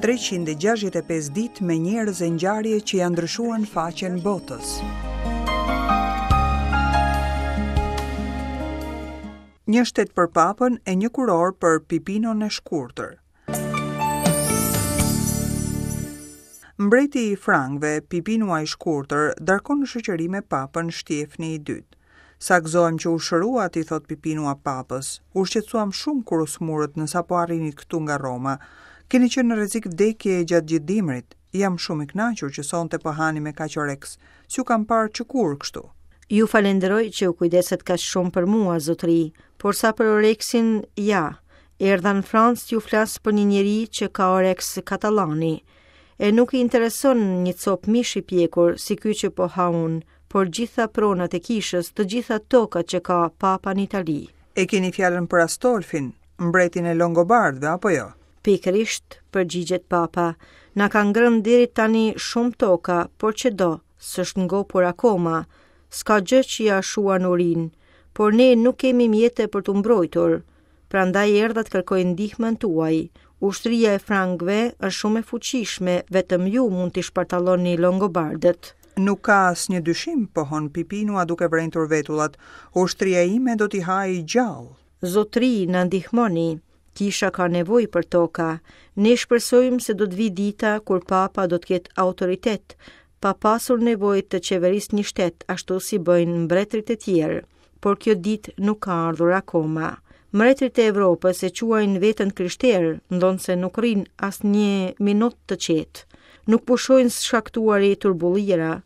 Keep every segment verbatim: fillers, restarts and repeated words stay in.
treqind e gjashtëdhjetë e pesë ditë me njerëz e ngjarje që ja ndryshuan faqen botës. Një shtet për papën e një kuror për Pipinon e shkurtër. Mbreti i Frankëve, Pipinua i shkurtër, darkon në shoqëri me papën Shtjefni i dytë. Sa gëzohem që u shëruat, i thot Pipinua papës. U shqetësuam shumë kur u smurët në sapo arrinit këtu nga Roma. Keni qenë në rrezik vdekje gjatë gjithë dimrit. Jam shumë i kënaqur që sonte po hani me kaq oreks. S'ju kam parë që kur kështu. Ju falenderoj që u kujdeset kaq shumë për mua, zotëri, por sa për oreksin, ja, erdha në Francë t'ju flas për një njeri që ka oreks katallani. E nuk i intereson një copë mish i pjekur si ky që po ha unë, por gjitha pronat e kishës, të gjitha tokat që ka papa në Itali. E keni fjalën për Astolfin, mbretin e Longobardëve, apo jo? Pikërisht, përgjigjet papa, na ka ngrënë deri tani shumë toka, por që do, s'është ngopur akoma, s'ka gjë që ja shuan urinë, por ne nuk kemi mjete për t'u mbrojtur. Prandaj erdha të kërkoj ndihmën tuaj. Ushtria e Frankëve është shumë e fuqishme, vetëm ju mund t'i shpartalloni Longobardët. Nuk ka asnjë dyshim, pohon Pipinua duke vrenjtur vetullat. Ushtria ime do t'i hajë gjallë. Zotri, na ndihmoni. Kisha ka nevojë për toka. Ne shpresojmë se do të vijë dita kur papa do të ketë autoritet, pa pasur nevojë të qeverisë një shtet, ashtu si bëjnë mbretërit e tjerë. Por kjo ditë nuk ka ardhur akoma. Mbretërit e Evropës e quajnë veten krishterë, ndonëse nuk rrinë asnjë minutë të qetë. Nuk pushojnë së shkaktuari turbullira.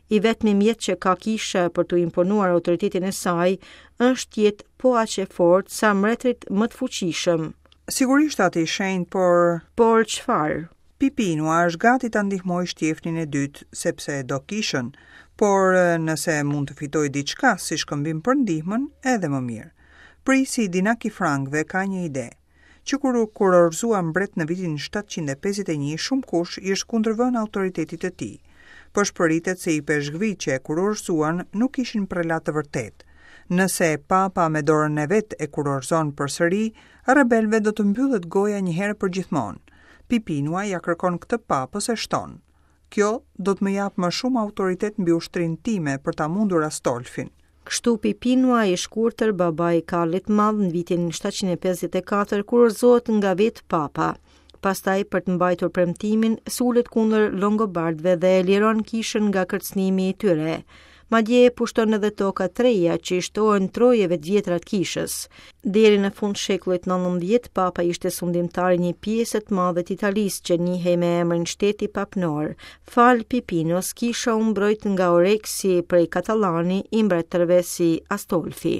I vetmi mjet që ka kisha për t'u imponuar autoritetin e saj është të jetë po aq e fortë sa mbretërit më të fuqishëm. Sigurisht atë i shenjtë, por Por çfarë? Pipinua është gati ta ndihmojë Shtjefnin e dytë, sepse e do kishën, por nëse mund të fitojë diçka si shkëmbim për ndihmën, edhe më mirë. Prisi Dinak i Frankëve ka një ide. Që kur u kurorëzua mbret në vitin shtatëqind e pesëdhjetë e një, shumë kush i është kundërvënë autoritetit të tij. Pëshpëritet se i peshkvit që e kurorëzuan nuk ishin prelat të vërtetë. Nëse papa me dorën e vet e kurorëzon përsëri, rebelëve do të mbyllet goja një herë për gjithmonë. Pipinua ja kërkon këtë papës e shton. Kjo do të më japë më shumë autoritet mbi ushtrinë time për ta mundur Astolfin. Kështu Pipinua i shkurtër, babai i Karlit Madh, në vitin shtatëqind e pesëdhjetë e katër kurorëzohet nga vetë papa. Pastaj, për të mbajtur premtimin, sulet kundër Longobardëve dhe e liron kishën nga kërcënimi i tyre. Madje pushton edhe toka të reja që i shtohen trojeve të vjetra të kishës. Deri në fund shekullit nëntëmbëdhjetë, papa ishte sundimtar i një pjese të madhe të Italisë që njihej me emrin Shteti Papnor. Fal Pipinos, kisha u mbrojt nga oreksi prej Katallani i mbretërve si Astolfi.